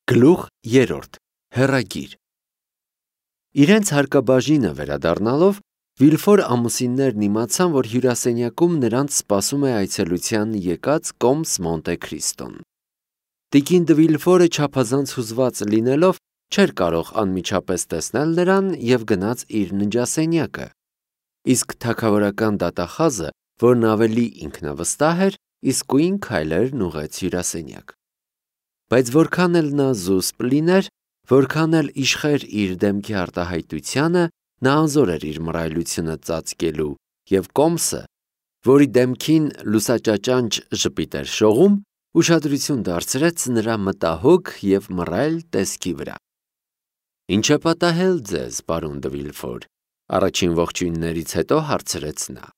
Գլուխ 3. Հեռագիր Իրենց հարկաբաժինը վերադառնալով Վիլֆոր ամուսիններն իմացան, որ հյուրասենյակում նրանց սպասում է այցելության եկած Կոմս Մոնտե Քրիստոն։ Տիկին դը Վիլֆորը չափազանց հուզված լինելով չէր կարող անմիջապես տեսնել նրան և գնաց իր ննջասենյակը, իսկ թագավորական դատախազը, որն ավելի ինքնավստահ էր, իսկույն քայլերն ուղղեց հյուրասենյակ։ Բայց որքան էլ նա զուսպ լիներ, որքան էլ իշխեր իր դեմքի արտահայտությանը, նա անզոր էր իր մռայլությունը ծածկելու, և Կոմսը, որի դեմքին լուսաճաճանճ ժպիտ էր շողում, ուշադրություն դարձրեց նրա մտահոգ և մռայլ տեսքի վրա։ «Ինչ է պատահել ձեզ, պարոն դը Վիլֆոր», առաջին ողջույններից հետո հարցրեց նա։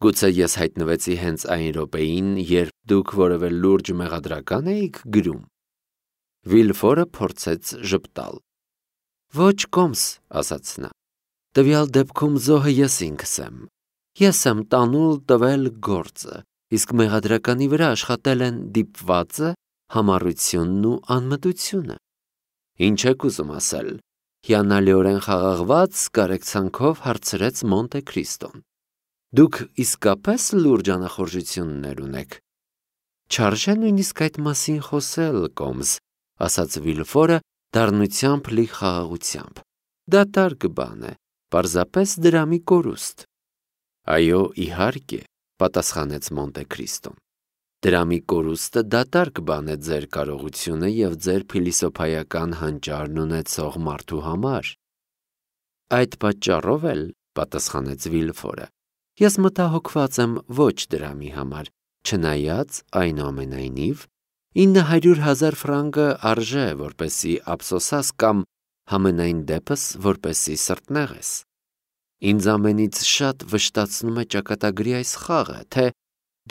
«Գուցե ես հայտնվեցի հենց այն րոպեին, երբ դուք որևէ լուրջ մեղադրական էիք գրում»։ Վիլֆորը փորձեց ժպտալ։ «Ոչ, Կոմս», ասաց նա, «տվյալ դեպքում զոհը ես ինքս եմ։ Ես եմ տանուլ տվել գործը, իսկ մեղադրականի վրա աշխատել են դիպվածը, համառությունն ու անմտությունը»։ «Ինչ եք ուզում ասել», հիանալիորեն խաղաղված կարեկցանքով հարցրեց Մոնտե Քրիստոն։ «Դուք իսկապես լուրջ անախորժություններ ունեք»։ «Չարժե նույնիսկ այդ մասին խոսել, Կոմս», ասաց Վիլֆորը դառնությամբ լի խաղաղությամբ։ «Դատարկ բան է, պարզապես դրամի կորուստ»։ «Այո, իհարկե», պատասխանեց Մոնտե Քրիստոն։ «Դրամի կորուստը դատարկ բան է ձեր կարողությունը և ձեր փիլիսոփայական հանճարն ունեցող մարդու համար»։ «Այդ պատճառով էլ», պատասխանեց Վիլֆորը, «ես մտահոգված եմ ոչ դրամի համար, չնայած, այնուամենայնիվ, 900,000 ֆրանկը արժե, որպեսզի ափսոսաս կամ համենայն դեպս, որպեսզի սրտնեղես։ Ինձ ամենից շատ վշտացնում է ճակատագրի այս խաղը, թե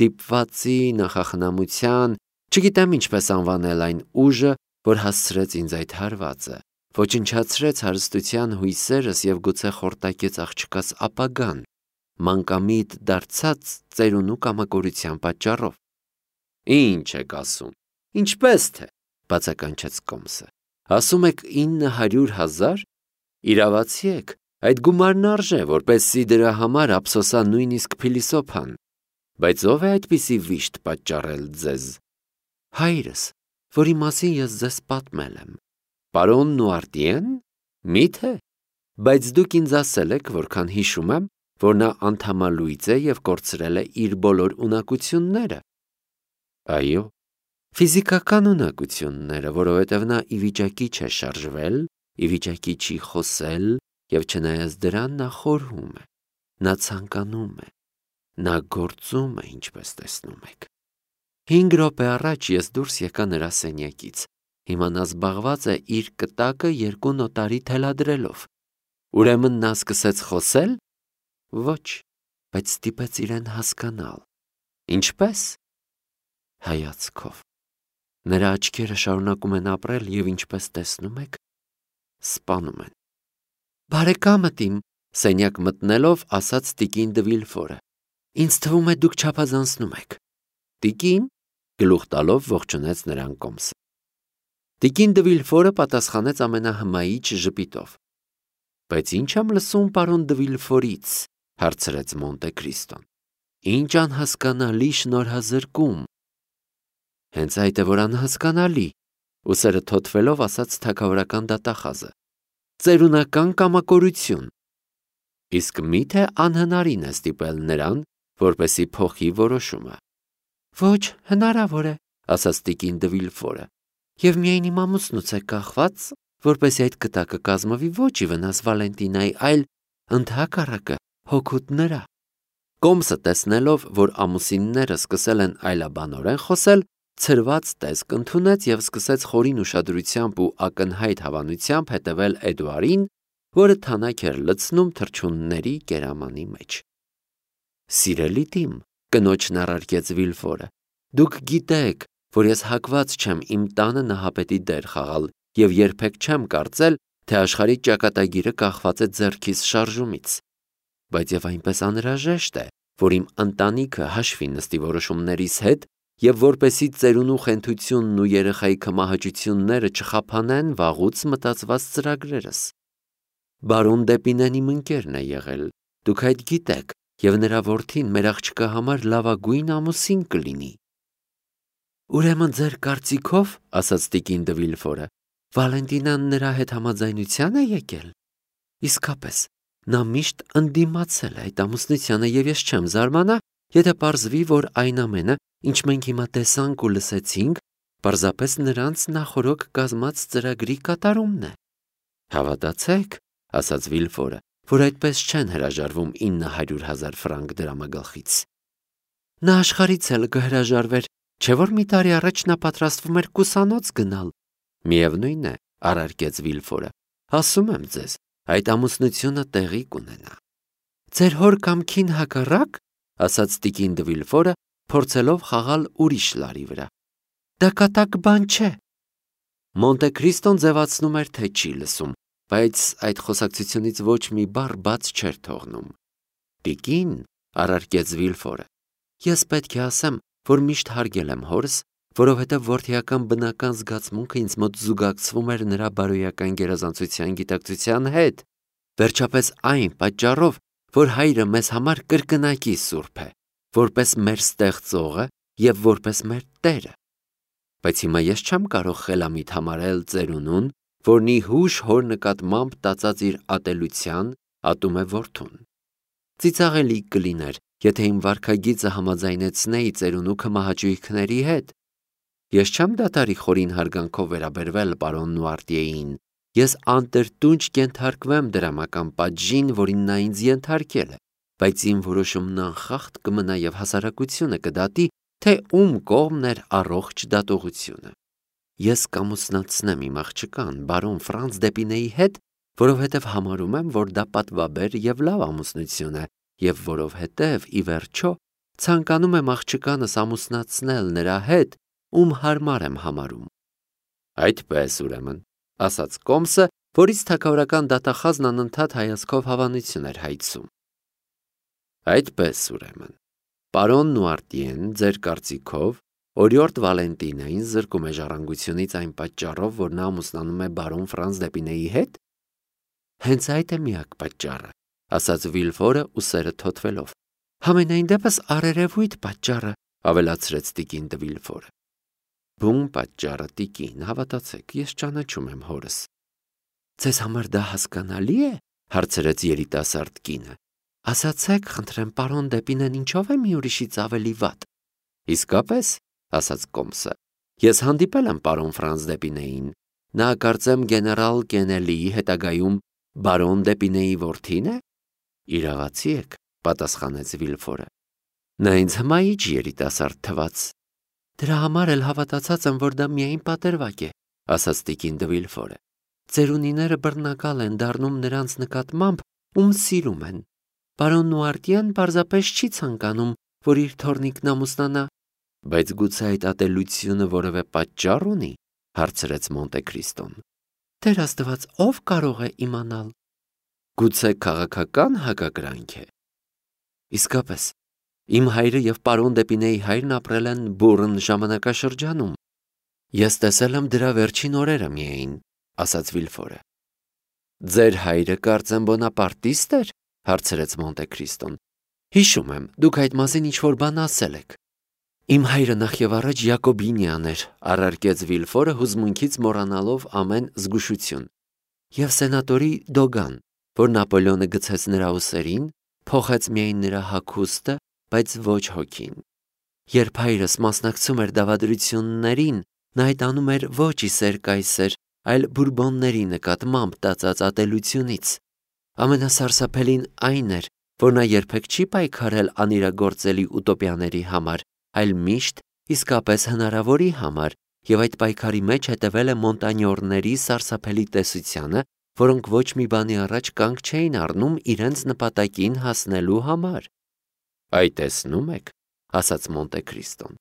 դիպվածի, նախախնամության, չգիտեմ ինչպես անվանել այն ուժը, որ հասցրեց ինձ այդ հարվածը, ոչնչացրեց հարստության հույսերս և գուցե խորտակեց աղջկաս ապագան, մանկամիտ դարձած ծերունու կամակորության պատճառով»։ «Ինչ եք ասում, ինչպես թե», բացականչեց Կոմսը։ «Ասում եք 900,000, իրավացի եք, այդ գումարն արժե, որպեսզի դրա համար ափսոսա նույնիսկ փիլիսոփան, բայց ո՞վ է այդպիսի վիշտ պատճառել ձեզ»։ «Հայրս, որի մասին ես ձեզ պատմել եմ»։ «Պարոն Նուարտիե՞ն, մի՞թե, բայց դուք ինձ ասել եք, որքան հիշում եմ, որ նա անդամալույծ է և կորցրել է իր բոլոր ունակությունները»։ «Այո, ֆիզիկական ունակությունները, որովհետև նա ի վիճակի չէ շարժվել, ի վիճակի չի խոսել և չնայած դրան նա խորհում է, նա ցանկանում է, նա գործում է, ինչպես տեսնում եք։ 5 րոպե առաջ ես դուրս եկա նրա սենյակից, հիմա նա զբաղված է իր կտակը 2 նոտարի թելադրելով։ Ուրեմն նա սկսեց խոսել։ Ոչ, բայց ստիպեց իրեն հասկանալ։ Ինչպե՞ս։ Հայացքով։ Նրա աչքերը շարունակում են ապրել և ինչպես տեսնում եք, սպանում են։ «Բարեկամդ իմ», սենյակ մտնելով, ասաց տիկին դը Վիլֆորը, «ինձ թվում է դուք չափազանցնում եք»։ «Տիկին», գլուխ տալով ողջունեց նրան Կոմսը։ Տիկին դը Վիլֆորը պատասխանեց ամենահմայիչ ժպիտով։ «Բայց ինչ եմ լսում պարոն դը Վիլֆորից», հարցրեց Մոնտե Քրիստոն։ «Ինչ անհասկանալի շնորհազրկում»։ «Հենց այդ է, որ անհասկանալի», ուսերը թոթվելով ասաց թագավորական դատախազը։ «Ծերունական կամակորություն»։ «Իսկ մի՞թե անհնարին է ստիպել նրան, որպեսզի փոխի որոշումը»։ «Ոչ, հնարավոր է», ասաց տիկին դը Վիլֆորը, «և միայն իմ ամուսնուց է կախված, որպեսզի այդ կտակը կազմվի ոչ ի վնաս Վալենտինայի, այլ ընդհակառակը հօգուտ նրա»։ Կոմսը տեսնելով, որ ամուսինները սկսել են այլաբանորեն խոսել, ցրված տեսք ընդունեց և սկսեց խորին ուշադրությամբ ու ակնհայտ հավանությամբ հետևել Էդուարին, որը թանաք էր լցնում թռչունների կերամանի մեջ։ «Սիրելի տիմ», կնոջն առարկեց Վիլֆորը, «դուք գիտեք, որ ես հակված չեմ իմ տանը նահապետի դեր խաղալ և երբեք չեմ կարծել, թե աշխարհի ճակատագիրը կախված է ձեռքիս շարժումից։ Բայց և այնպես անհրաժեշտ է, որ իմ ընտանիքը հաշվի նստի որոշումներիս հետ եւ որպեսի ծերունու խենթությունն ու երեխայի կմահաճությունները չխափանեն վաղուց մտածված ծրագրերս։ Բարոն Դեպինեն իմ ընկերն է եղել, դուք այդ գիտեք, եւ նրա որդին մեր աղջկա համար լավագույն ամուսին կլինի։ Ուրեմն ձեր կարծիքով, ասաց տիկին դե Վիլֆորը, Վալենտինան նրա հետ համաձայնության է եկել։ Իսկապես, նա միշտ ընդդիմացել է այդ ամուսնությանը եւ ես չեմ զարմանա, եթե պարզվի, որ այն ամենը, ինչ մենք հիմա տեսանք ու լսեցինք, պարզապես նրանց նախորոք կազմած ծրագրի կատարումն է։ Հավատացեք, ասաց Վիլֆորը, որ այդպես չեն հրաժարվում 900,000 ֆրանկ դրամագլխից։ Նա աշխարհից էլ կհրաժարվեր, չէ՞ որ մի տարի առաջ նա պատրաստվում էր կուսանոց գնալ։ Միևնույն է, առարկեց Վիլֆորը, ասում եմ ձեզ, այդ ամուսնությունը տեղի կունենա։ Ձեր հոր կամքին հակառակ, ասաց տիկին դե Վիլֆորը, փորձելով խաղալ ուրիշ լարի վրա։ Դա կատակ բան չէ։ Մոնտե Քրիստոն ձևացնում էր, թե չի լսում, բայց այդ խոսակցությունից ոչ մի բառ բաց չէր թողնում։ Տիկին, առարկեց Վիլֆորը, ես պետք է ասեմ, որ միշտ հարգել եմ հորս, որովհետև որդիական բնական զգացմունքը ինձ մոտ զուգակցվում էր նրա բարոյական գերազանցության գիտակցության հետ, վերջապես այն պատճառով, որ հայրը մեզ համար կրկնակի սուրբ է, որպես մեր ստեղծողը եւ որպես մեր Տերը։ Բայց հիմա ես չեմ կարող խելամիտ համարել ծերունուն, որն ի հուշ հոր նկատմամբ տածած իր ատելության ատում է որդուն։ Ծիծաղելի կլիներ, եթե իմ վարքագիծը համաձայնեցնեի ծերունու կմահաճույքների հետ։ Ես չեմ դատարի խորին հարգանքով վերաբերվել պարոն Նուարտիեին, ես անտրտունջ կենթարկվեմ դրամական պատժին, որին նա ինձ ենթարկել է, բայց իմ որոշումն անխախտ կմնա եւ հասարակությունը կդատի, թե ում կողմն էր առողջ դատողությունը։ Ես կամուսնացնեմ իմ աղջկան բարոն Ֆրանց Դեպինեի հետ, որովհետև համարում եմ, որ դա պատվաբեր եւ լավ ամուսնություն է, եւ որովհետև ի վերջո ցանկանում եմ աղջկանս ամուսնացնել նրա հետ, ում հարմար եմ համարում։ Այդպես ուրեմն, ասաց Կոմսը, որից թագավորական դատախազն անընդհատ հայացքով հավանություն էր հայցում։ Այդպես ուրեմն, պարոն Նուարտիեն, ձեր կարծիքով, օրիորդ Վալենտինային զրկում է ժառանգությունից այն պատճառով, որ նա ամուսնանում է բարոն Ֆրանց Դեպինեի հետ։ Հենց այդ է միակ պատճառը, ասաց Վիլֆորը ուսերը թոթվելով։ Համենայն դեպս առերևույթ պատճառը, ավելացրեց տիկին դե Վիլֆորը։ Բուն պատճառը, տիկին, հավատացեք, ես ճանաչում եմ հորս։ Ձեզ համար դա հասկանալի է, հարցրեց երիտասարդ կինը։ Ասացեք, խնդրեմ, պարոն Դեպինեն ինչով է մի ուրիշից ավելի վատ։ Իսկապես, ասաց Կոմսը, ես հանդիպել եմ պարոն Ֆրանց Դեպինեին։ Նա կարծեմ գեներալ Կենելիի հետագայում բարոն Դեպինեի որդին է։ Իրավացի եք, պատասխանեց Վիլֆորը։ Նա ինձ հմայիչ երիտասարդ թվաց։ Դրա համար էլ հավատացած եմ, որ դա միայն պատերվակ է, ասաց տիկին դե Վիլֆորը։ Ծերունիները բռնակալ են դառնում նրանց նկատմամբ, ում սիրում են։ Պարոն Նուարտիան պարզապես չի ցանկանում, որ իր թոռնիկն ամուսնանա։ Բայց գուցե այդ ատելությունը որևէ պատճառ ունի, հարցրեց Մոնտե Քրիստոն։ Տեր Աստված, ով կարող է իմանալ։ Գուցե քաղաքական հակակրանք է։ Իսկապես, իմ հայրը եւ պարոն Դեպինեի հայրն ապրել են բուռն ժամանակաշրջանում։ Ես տեսել եմ դրա վերջին օրերը միայն, ասաց Վիլֆորը։ Ձեր հայրը կարծեմ բոնապարտիստ էր, հարցրեց Մոնտե Քրիստոն։ Հիշում եմ, դուք այդ մասին ինչ-որ բան ասել եք։ Իմ հայրը նախ եւ առաջ Յակոբինյան էր, առարկեց Վիլֆորը հուզմունքից մոռանալով ամեն զգուշություն։ Եվ սենատորի Դոգան, որ Նապոլեոնը գցեց նրա ուսերին, փոխեց միայն նրա հագուստը, բայց ոչ հոգին։ Երբ հայրս մասնակցում էր դավադրություններին, նա այդ անում էր ոչ իսեր կայսեր, այլ բուրբոնների նկատմամբ տածած ատելությունից։ Ամենասարսափելին այն էր, որ նա երբեք չի պայքարել անիրագործելի ուտոպիաների համար, այլ միշտ իսկապես հնարավորի համար, եւ այդ պայքարի մեջ հետևել է մոնտանյորների սարսափելի տեսությանը, որոնք ոչ մի բանի առաջ կանգ չէին առնում իրենց նպատակին հասնելու համար։ Այդ տեսնում եք, ասաց Մոնտե Քրիստոն։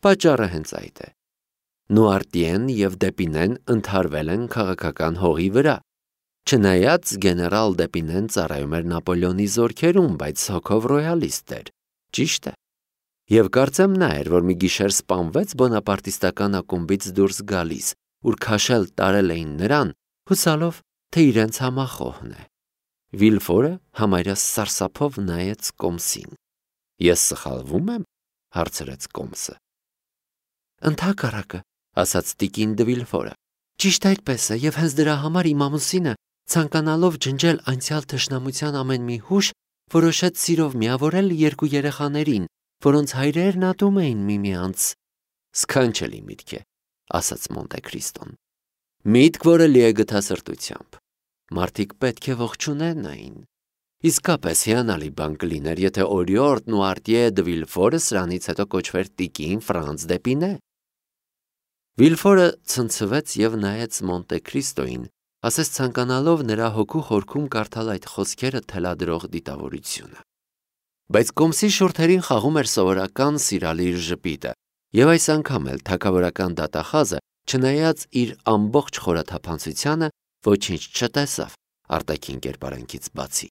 Պատճառը հենց այդ է։ Նուարտիեն եւ Դեպինեն ընդհարվել են քաղաքական հողի վրա։ Չնայած գեներալ Դեպինեն ծառայում էր Նապոլեոնի զորքերում, բայց հոգով ռոյալիստ էր։ Ճիշտ է։ Եվ կարծեմ նա էր, որ մի գիշեր սպանվեց բոնապարտիստական ակումբից դուրս գալիս, ուր քաշել տարել էին նրան, հուսալով, թե իրենց համախոհն է։ Վիլֆորը համարյա սարսափով նայեց Կոմսին։ Ես սխալվում եմ, հարցրեց Կոմսը։ Ընդհակառակը, ասաց տիկին դը Վիլֆորը։ Ճիշտ այդպես է, եւ հենց դրա համար իմ ամուսինը, ցանկանալով ջնջել անցյալ թշնամության ամեն մի հուշ, որոշեց սիրով միավորել երկու երեխաներին, որոնց հայրերն ատում էին միմյանց։ Սքանչելի միտք է, ասաց Մոնտե Քրիստոն։ Միտք, որը լի է գթասրտությամբ։ Մարդիկ պետք է ողջունեն։ Իսկապես հիանալի բան կլիներ, եթե օրիորդն ու Արտիե դը Վիլֆորը սրանից հետո կոչվեր տիկին Ֆրանց դեպինե։ Վիլֆորը ցնցվեց եւ նայեց Մոնտե Քրիստոին, ասես ցանկանալով նրա հոգու խորքում կարդալ այդ խոսքերը թելադրող դիտավորությունը։ Բայց Կոմսի շուրթերին խաղում էր սովորական սիրալիր ժպիտը, եւ այս անգամ էլ թագավորական դատախազը, չնայած իր ամբողջ խորաթափանցությանը, ոչինչ չտեսավ արտաքին կերպարանքից բացի։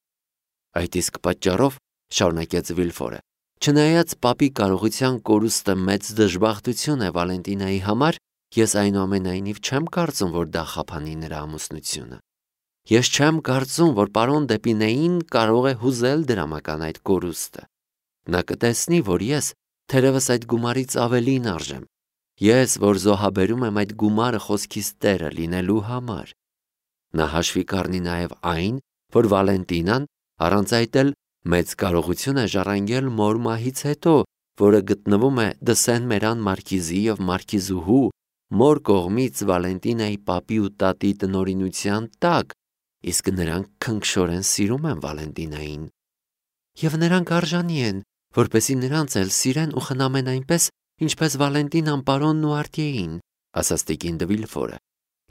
Այդ իսկ պատճառով, շարունակեց Վիլֆորը, չնայած պապի կարողության կորուստը մեծ դժբախտություն է Վալենտինայի համար, ես այնուամենայնիվ չեմ կարծում, որ դա խափանի նրա ամուսնությունը։ Ես չեմ կարծում, որ պարոն Դեպինեին կարող է հուզել դրամական այդ կորուստը։ Նա կտեսնի, որ ես թերևս այդ գումարից ավելին արժեմ։ Ես, որ զոհաբերում եմ այդ գումարը խոսքիս տերը լինելու համար։ Նա հաշվի կառնի նաև այն, որ Վալենտինան առանց այդ էլ մեծ կարողություն է ժառանգել մոր մահից հետո, որը գտնվում է Դսեն-Մերան մարքիզի եւ մարքիզուհու մոր կողմից Վալենտինայի պապի ու տատի տնօրինության տակ, իսկ նրանք քնքշորեն սիրում են Վալենտինային։ Եվ նրանք արժանի են, որպեսզի նրանց էլ սիրեն ու խնամեն այնպես, ինչպես Վալենտինան պարոնն ու Արտիեին, ասաց տիկին դը Վիլֆորը։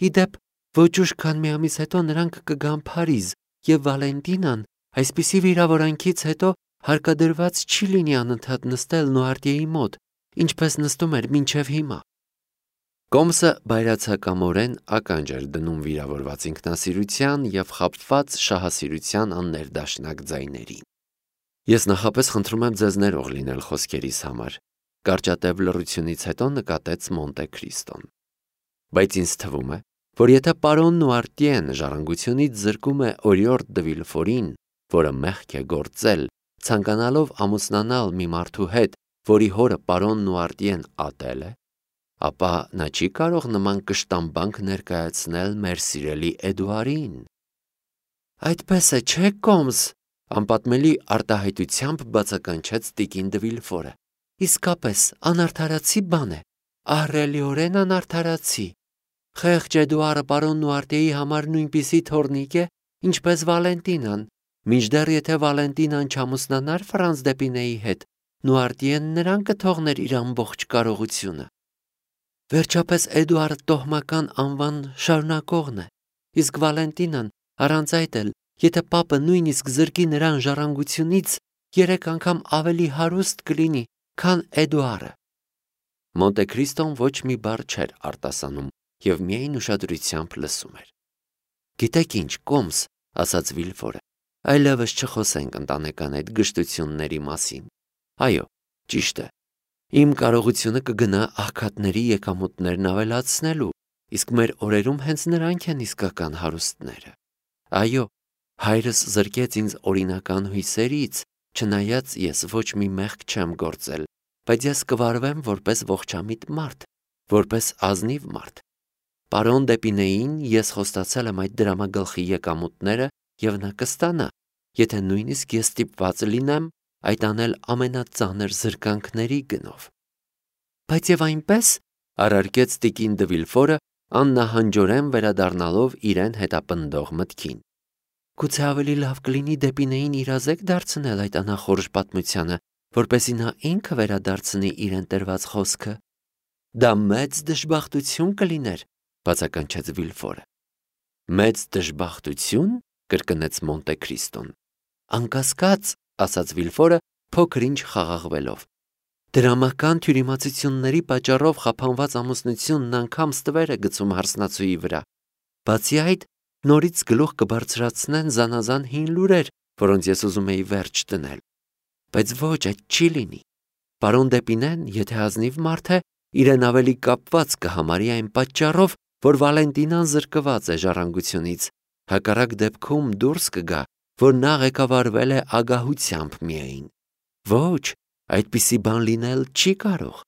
Իդեպ, ոչ ուշ քան մի ամիս հետո նրանք կգան Փարիզ, եւ Վալենտինան այսպիսի վիրավորանքից հետո հարկադրված չի լինի անընդհատ նստել Նուարտիեի մոտ, ինչպես նստում էր մինչև հիմա։ Կոմսը բայրացակամորեն ականջ էր դնում վիրավորված ինքնասիրության եւ խաբված շահասիրության աններդաշնակ ձայներին։ Ես նախապես խնդրում եմ ձեզ ներող լինել խոսքերիս համար, կարճատև լռությունից հետո նկատեց Մոնտե Քրիստոն։ Բայց ինձ թվում է, որ եթե պարոնն ու Արտիեն ժառանգությունից զրկում է օրիորդ դը Վիլֆորին, որը մեղք է գործել, ցանկանալով ամուսնանալ մի մարդու հետ, որի հորը պարոնն ու Արտիեն ատել է, ապա նա չի կարող նման կշտամբանք ներկայացնել մեր սիրելի Էդուարին։ Այդպես է, չէ՞ Կոմս, անպատմելի արտահայտությամբ բացականչեց տիկին դը Վիլֆորը։ Իսկապես անարդարացի բան է, ահռելիորեն անարդարացի։ Խեղճ Էդուարը պարոնն ու Արտիեի համար նույնպիսի թոռնիկ է, ինչպես Վալենտինան, մինչդեռ եթե Վալենտինան չամուսնանար Ֆրանց Դեպինեի հետ, Նուարտիեն նրան կթողներ իր ամբողջ կարողությունը։ Վերջապես Էդուարը տոհմական անվան շարունակողն է, իսկ Վալենտինան առանց այդ էլ, եթե պապը նույնիսկ զրկի նրան ժառանգությունից, 3 անգամ ավելի հարուստ կլինի, քան Էդուարը։ Մոնտե Քրիստոն ոչ մի բառ չէր արտասանում եւ միայն ուշադրությամբ լսում էր։ Գիտեք ինչ, Կոմս, ասաց Վիլֆորը, այլևս չխոսենք ընտանեկան այդ գժտությունների մասին։ Այո, ճիշտ է։ Իմ կարողությունը կգնա աղքատների եկամուտներն ավելացնելու, իսկ մեր օրերում հենց նրանք են իսկական հարուստները։ Այո, հայրս զրկեց ինձ օրինական հույսերից, չնայած ես ոչ մի մեղք չեմ գործել, բայց ես կվարվեմ որպես ողջամիտ մարդ, որպես ազնիվ մարդ։ Պարոն Դեպինեին ես խոստացել եմ այդ դրամագլխի եկամուտները եւ նա կստանա, եթե նույնիսկ ես ստիպված լինեմ այդ անել ամենածանր զրկանքների գնով։ Բայց եւ այնպես, առարկեց տիկին դը Վիլֆորը, աննահանջորեն վերադառնալով իրեն հետապնդող մտքին։ Գուցե ավելի լավ կլինի Դեպինեին իրազեկ դարձնել այդ անախորժ պատմությանը, որպեսզի նա ինքը վերադարձնի իրեն տրված խոսքը։ Դա մեծ դժբախտություն կլիներ, բացականչեց Վիլֆորը։ Մեծ դժբախտություն, կրկնեց Մոնտե Քրիստոն։ Անկասկած, ասաց Վիլֆորը, փոքր-ինչ խաղաղվելով։ Դրամական թյուրիմացությունների պատճառով խափանված ամուսնությունն անգամ ստվեր է գցում հարսնացուի վրա։ Բացի այդ, նորից գլուխ կբարձրացնեն զանազան հին լուրեր, որոնց ես ուզում էի վերջ դնել։ Բայց ոչ, այդ չի լինի։ Պարոն Դեպինեն, եթե ազնիվ մարդ է, իրեն ավելի կապված կհամարի այն պատճառով, որ Վալենտինան զրկված է ժառանգությունից, հակառակ դեպքում դուրս կգա, որ նա ղեկավարվել է ագահությամբ միայն։ Ոչ, այդպիսի բան լինել չի կարող։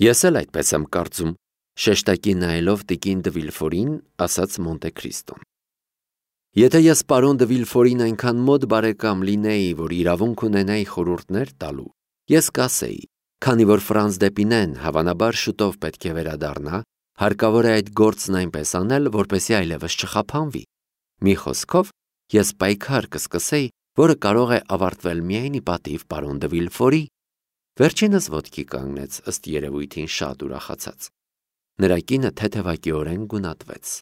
Ես էլ այդպես եմ կարծում, շեշտակի նայելով տիկին դը Վիլֆորին, ասաց Մոնտե Քրիստոն։ Եթե ես պարոն դը Վիլֆորին այնքան մոտ բարեկամ լինեի, որ իրավունք ունենայի խորհուրդներ տալու, ես կասեի, քանի որ Ֆրանց Դեպինեն հավանաբար շուտով պետք է վերադառնա, հարկավոր է այդ գործն այնպես անել, որպեսզի այլևս չխափանվի։ Մի խոսքով, ես պայքար կսկսեի, որը կարող է ավարտվել միայն ի պատիվ պարոն դը Վիլֆորի։ Վերջինս ոտքի կանգնեց, ըստ երևույթին շատ ուրախացած։ Նրա կինը թեթևակիորեն գունատվեց։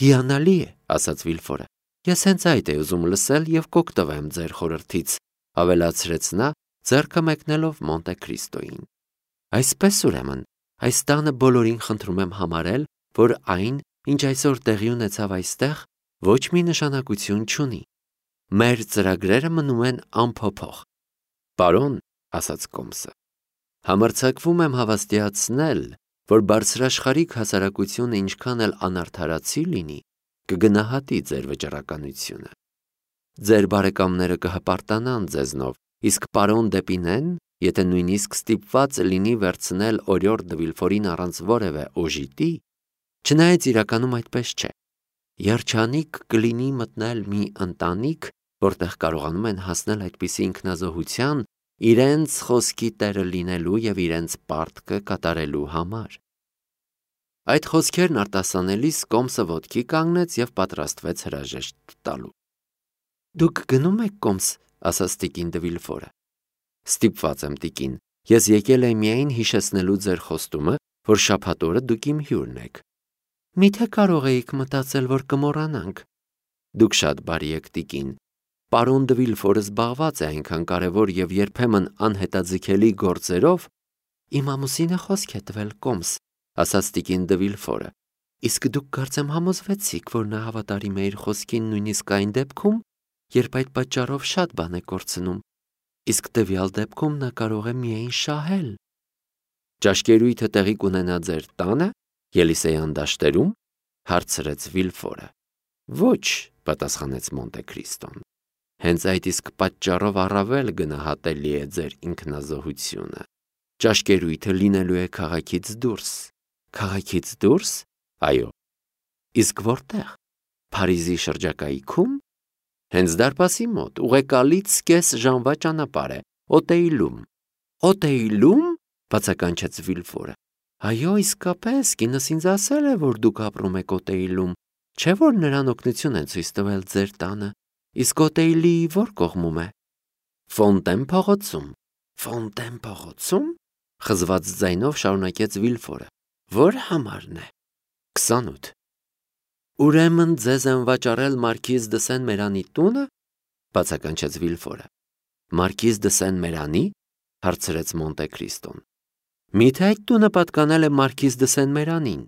Հիանալի է, ասաց Վիլֆորը։ Ես հենց այդ էի ուզում լսել և կօգտվեմ ձեր խորհրդից, ավելացրեց նա, ձեռքը մեկնելով Մոնտե Քրիստոյին։ Այսպես ուրեմն, այս տանը բոլորին խնդրում եմ համարել, որ այն, ինչ այսօր տեղի ունեցավ այստեղ, ոչ մի նշանակություն չունի։ Մեր ծրագրերը մնում են անփոփոխ։ Պարոն, ասաց Կոմսը, համարձակվում եմ հավաստիացնել, որ բարձրաշխարհիկ հասարակությունը ինչքան էլ անարդարացի լինի, կգնահատի ձեր վճռականությունը։ Ձեր բարեկամները կհպարտանան ձեզնով, իսկ պարոն Դեպինեն, եթե նույնիսկ ստիպված լինի վերցնել օրիորդ դը Վիլֆորին առանց որևէ օժիտի, չնայած իրականում այդպես չէ, երջանիկ կլինի մտնել մի ընտանիք, որտեղ կարողանում են հասնել այդպիսի ինքնազոհության, իրենց խոսքի տերը լինելու և իրենց պարտքը կատարելու համար։ Այդ խոսքերն արտասանելիս Կոմսը ոտքի կանգնեց և պատրաստվեց հրաժեշտ տալու։ Դուք գնում եք, Կոմս, ասաց տիկին դը Վիլֆորը։ Ստիպված եմ, տիկին, ես եկել եմ միայն հիշեցնելու ձեր խոստումը, որ շաբաթ օրը դուք իմ հյուրն եք։ Միթե կարող էիք մտածել, որ կմոռանանք։ Դուք շատ բարի եք, տիկին։ Պարոն դը Վիլֆորը զբաղված է այնքան կարևոր և երբեմն անհետաձգելի գործերով։ Իմ ամուսինը խոսք է տվել, Կոմս, ասաց տիկին դը Վիլֆորը։ Իսկ դուք կարծեմ համոզվեցիք, որ նա հավատարիմ է իր խոսքին նույնիսկ այն դեպքում, երբ այդ պատճառով շատ բան է կորցնում, իսկ տվյալ դեպքում նա կարող է միայն շահել։ Ճաշկերույթը տեղի կունենա ձեր տանը, Ելիսեյան դաշտերում, հարցրեց Վիլֆորը։ Ոչ, պատասխանեց Մոնտե Քրիստոն։ Հենց այդ իսկ պատճառով առավել գնահատելի է ձեր ինքնազոհությունը։ Ճաշկերույթը լինելու է քաղաքից դուրս։ Քաղաքից դուրս։ Այո։ Իսկ որտեղ։ Փարիզի շրջակայքում։ Հենց դարպասի մոտ, ուղեկալից կես ժամվա ճանապարհ է, Օտեիլում։ Օտեիլում, բացականչեց Վիլֆորը։ Այո, իսկապես, կինս ինձ ասել է, որ դուք ապրում եք Օտեիլում, չէ՞ որ նրան օգնություն են ցույց տվել ձեր տանը։ Իսկ Օտեիլի որ կողմում է։ Ֆոնտեն փողոցում։ Ֆոնտեն փողոցում։ Խզված ձայնով շարունակեց Վիլֆորը։ Որ համարն է։ 28։ Ուրեմն ձեզ են վաճառել Մարքիզ դը Սեն-Մերանի տունը, բացականչեց Վիլֆորը։ Մարքիզ դը Սեն-Մերանի, հարցրեց Մոնտե Քրիստոն։ Միթե այդ տունը պատկանել է Մարքիզ դը Սեն-Մերանին։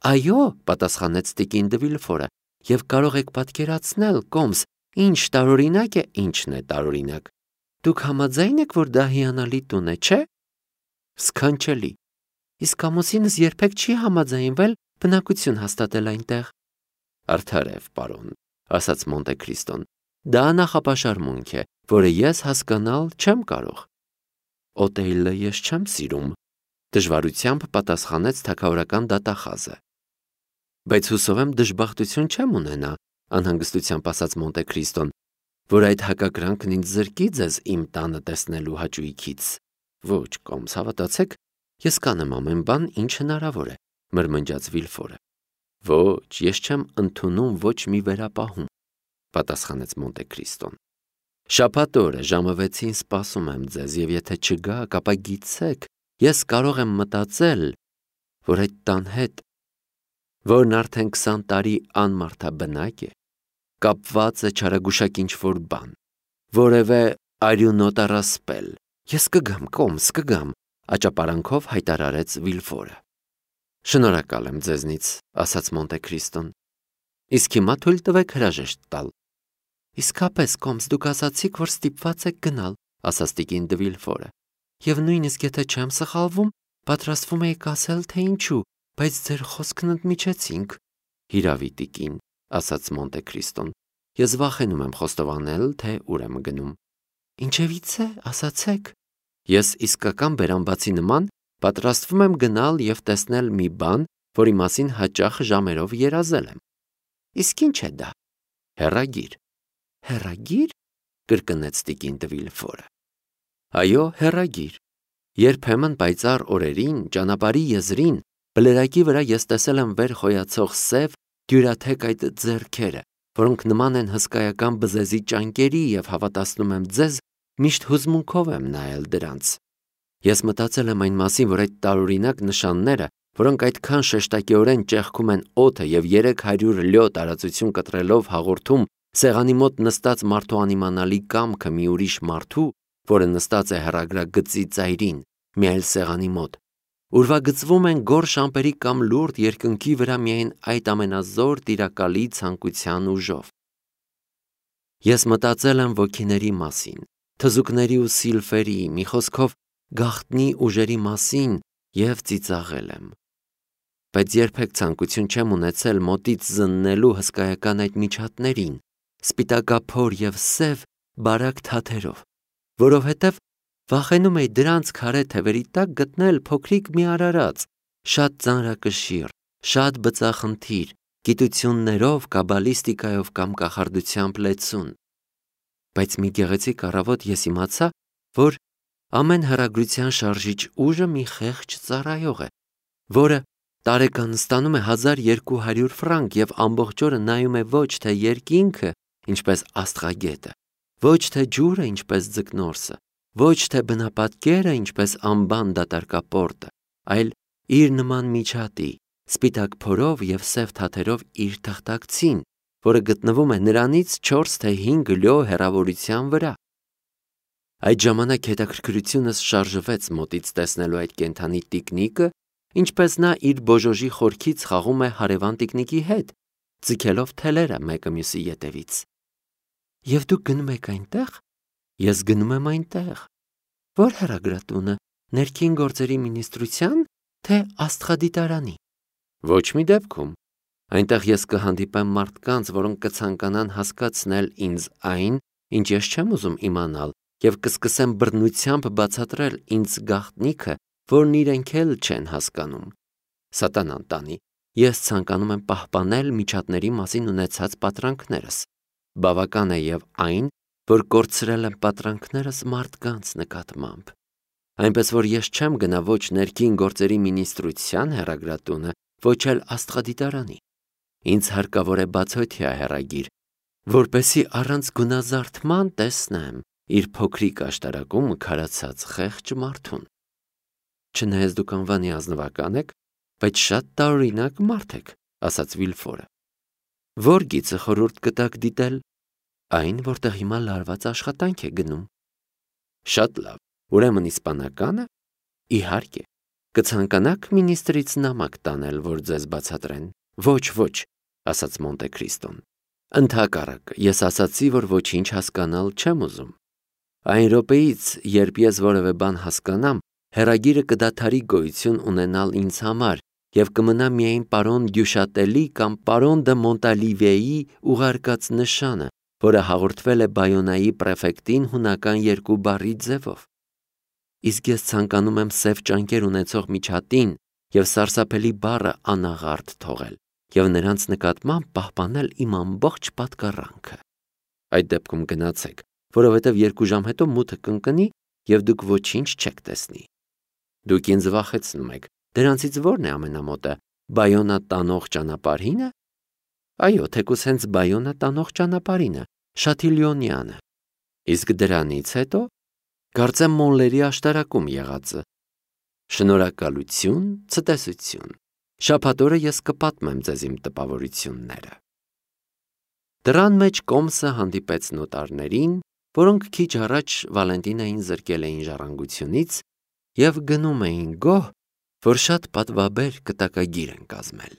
Այո, պատասխանեց տիկին դը Վիլֆորը, և կարող եք պատկերացնել, Կոմս, ինչ տարօրինակ է, ինչն է տարօրինակ։ Դուք համաձայն եք, որ դա հիանալի տուն է, չէ՞։ Սքանչելի։ Իսկ ամուսինս երբեք չի համաձայնվել բնակություն հաստատել այնտեղ։ Արդարև, պարոն, ասաց Մոնտե Քրիստոն, դա նախապաշարմունք է, որը ես հասկանալ չեմ կարող։ Օտեիլը ես չեմ սիրում, դժվարությամբ պատասխանեց թագավորական դատախազը։ Բայց հուսով եմ դժբախտություն չեմ ունենա, անհանգստությամբ ասաց Մոնտե Քրիստոն, որ այդ հակակրանքն ինձ զրկի ձեզ իմ տանը տեսնելու հաճույքից։ Ոչ, Կոմս, հավատացեք, ես կանեմ ամեն բան, ինչ հնարավոր է, մրմնջաց Վիլֆորը։ Ոչ, ես չեմ ընդունում ոչ մի վերապահում, պատասխանեց Մոնտե Քրիստոն։ Շաբաթ օրը ժամը 6-ին սպասում եմ ձեզ, և եթե չգաք, ապա գիտեք, ես կարող եմ մտածել, որ այդ տան հետ, որն արդեն 20 տարի անմարդաբնակ է, կապված է չարագուշակ ինչ-որ բան, որևէ արյունոտ առասպել։ Ես կգամ, Կոմս, կգամ, աճապարանքով հայտարարեց Վիլֆորը։ Շնորհակալ եմ ձեզնից, ասաց Մոնտե Քրիստոն։ Իսկ հիմա թույլ տվեք հրաժեշտ տալ։ Իսկապես, Կոմս, դուք ասացիք, որ ստիպված եք գնալ, ասաց տիկին դը Վիլֆորը։ Եվ նույնիսկ եթե չեմ սխալվում, պատրաստվում էի ասել, թե ինչու, բայց ձեր խոսքն ընդմիջեցինք։ Հիրավի տիկին, ասաց Մոնտե Քրիստոն, ես վախենում եմ խոստովանել, թե ուր եմ գնում։ Ինչևից է, ասացեք։ Ես իսկական բերանբացի նման պատրաստվում եմ գնալ և տեսնել մի բան, որի մասին հաճախ ժամերով երազել եմ։ Իսկ ինչ է դա։ Հեռագիր։ Հեռագիր, կրկնեց տիկին դե Վիլֆորը։ Այո, հեռագիր։ Երբեմն պայծառ օրերին, ճանապարհի եզրին, բլրակի վրա ես տեսել եմ վեր խոյացող սև, դյուրաթեք այդ ձեռքերը, որոնք նման են հսկայական բզեզի ճանկերի և հավատացնում եմ ձեզ, միշտ հուզմունքով եմ նայել դրանց։ Ես մտածել եմ այն մասին, որ այդ տարօրինակ նշանները, որոնք այդքան շեշտակիորեն ճեղքում են օդը և 300 լյո տարածություն կտրելով հաղորդում սեղանի մոտ նստած մարդու անիմանալի կամքը մի ուրիշ մարդու, որը նստած է հեռագրագծի ծայրին, մի այլ սեղանի մոտ, ուրվագծվում են գորշ ամպերի կամ լուրջ երկնքի վրա միայն այդ ամենազոր տիրակալի ցանկության ուժով։ Ես մտածել եմ ոգիների մասին, թզուկների ու սիլֆերի, մի խոսքով գաղտնի ուժերի մասին և ծիծաղել եմ։ Բայց երբեք ցանկություն չեմ ունեցել մոտից զննելու հսկայական այդ միջատներին, սպիտակափոր և սև բարակ թաթերով, որովհետև վախենում էի դրանց քարե թևերի տակ գտնել փոքրիկ մի արարած, շատ ծանրակշիռ, շատ բծախնդիր, գիտություններով, կաբալիստիկայով կամ կախարդությամբ լեցուն։ Բայց մի գեղեցիկ առավոտ ես իմացա, որ ամեն հեռագրության շարժիչ ուժը մի խեղճ ծառայող է, որը տարեկան ստանում է 1200 ֆրանկ և ամբողջ օրը նայում է ոչ թե երկինքը, ինչպես աստղագետը, ոչ թե ջուրը, ինչպես ձկնորսը, ոչ թե բնապատկերը, ինչպես անբան դատարկապորտը, այլ իր նման միջատի, սպիտակ փորով և սև թաթերով իր թղթակցին, որը գտնվում է նրանից 4 թե 5 լյո հեռավորության վրա։ Այդ ժամանակ հետաքրքրությունս շարժվեց մոտից տեսնելու այդ կենդանի տիկնիկը, ինչպես նա իր բոժոժի խորքից խաղում է հարևան տիկնիկի հետ, ձգելով թելերը մեկը մյուսի ետևից։ Եվ դուք գնում եք այնտեղ։ Ես գնում եմ այնտեղ։ Ո՞ր հեռագրատունը, ներքին գործերի մինիստրության, թե աստղադիտարանի։ Ոչ մի դեպքում։ Այնտեղ ես կհանդիպեմ մարդկանց, որոնք կցանկանան հասկացնել ինձ այն, ինչ ես չեմ ուզում իմանալ, և կսկսեմ բռնությամբ բացատրել ինձ գաղտնիքը, որն իրենք էլ չեն հասկանում։ Սատանան տանի, ես ցանկանում եմ պահպանել միջատների մասին ունեցած պատրանքներս։ Բավական է և այն, որ կորցրել եմ պատրանքներս մարդկանց նկատմամբ։ Այնպես որ ես չեմ գնա ոչ ներքին գործերի մինիստրության հեռագրատունը, ոչ էլ աստղադիտարանի։ Ինձ հարկավոր է բացօթյա հեռագիր, որպեսզի առանց գունազարդման տեսնեմ իր փոքրիկ աշտարակում քարացած խեղճ մարդուն։ Չնայած դուք անվանի ազնվական եք, բայց շատ տարօրինակ մարդ եք, ասաց Վիլֆորը։ Ո՞ր գիծը խորհուրդ կտաք դիտել։ Այն, որտեղ հիմա լարված աշխատանք է գնում։ Շատ լավ, ուրեմն իսպանականը։ Իհարկե, կցանկանաք մինիստրից նամակ տանել, որ ձեզ բացատրեն։ Ոչ, ասաց Մոնտե Քրիստոն։ Ընդհակառակը, ես ասացի, որ ոչինչ հասկանալ չեմ ուզում։ Այն րոպեից, երբ ես որևէ բան հասկանամ, հեռագիրը կդադարի գոյություն ունենալ ինձ համար և կմնա միայն պարոն Դյուշատելի կամ պարոն դը Մոնտալիվեի ուղարկած նշանը, որը հաղորդվել է Բայոնայի պրեֆեկտին հունական 2 բառի ձևով։ Իսկ ես ցանկանում եմ սև ճանկեր ունեցող միջատին և սարսափելի բառը անաղարտ թողել և նրանց նկատմամբ պահպանել իմ ամբողջ պատկառանքը։ Այդ դեպքում գնացեք, որովհետև 2 ժամ հետո մութը կընկնի և դուք ոչինչ չեք տեսնի։ Դուք ինձ վախեցնում եք, դրանցից ո՞րն է ամենամոտը, Բայոնա տանող ճանապարհինը։ Այո, թեկուզ հենց Բայոնա տանող ճանապարհինը, Շաթիլյոնյանը։ Իսկ դրանից հետո կարծեմ Մոնլերի աշտարակում եղածը։ Շնորհակալություն, ցտեսություն։ Շաբաթ օրը ես կպատմեմ ձեզ իմ տպավորությունները։ Դռան մեջ կոմսը հանդիպեց նոտարներին, որոնք քիչ առաջ Վալենտինային զրկել էին ժառանգությունից և գնում էին գոհ, որ շատ պատվաբեր կտակագիր են կազմել։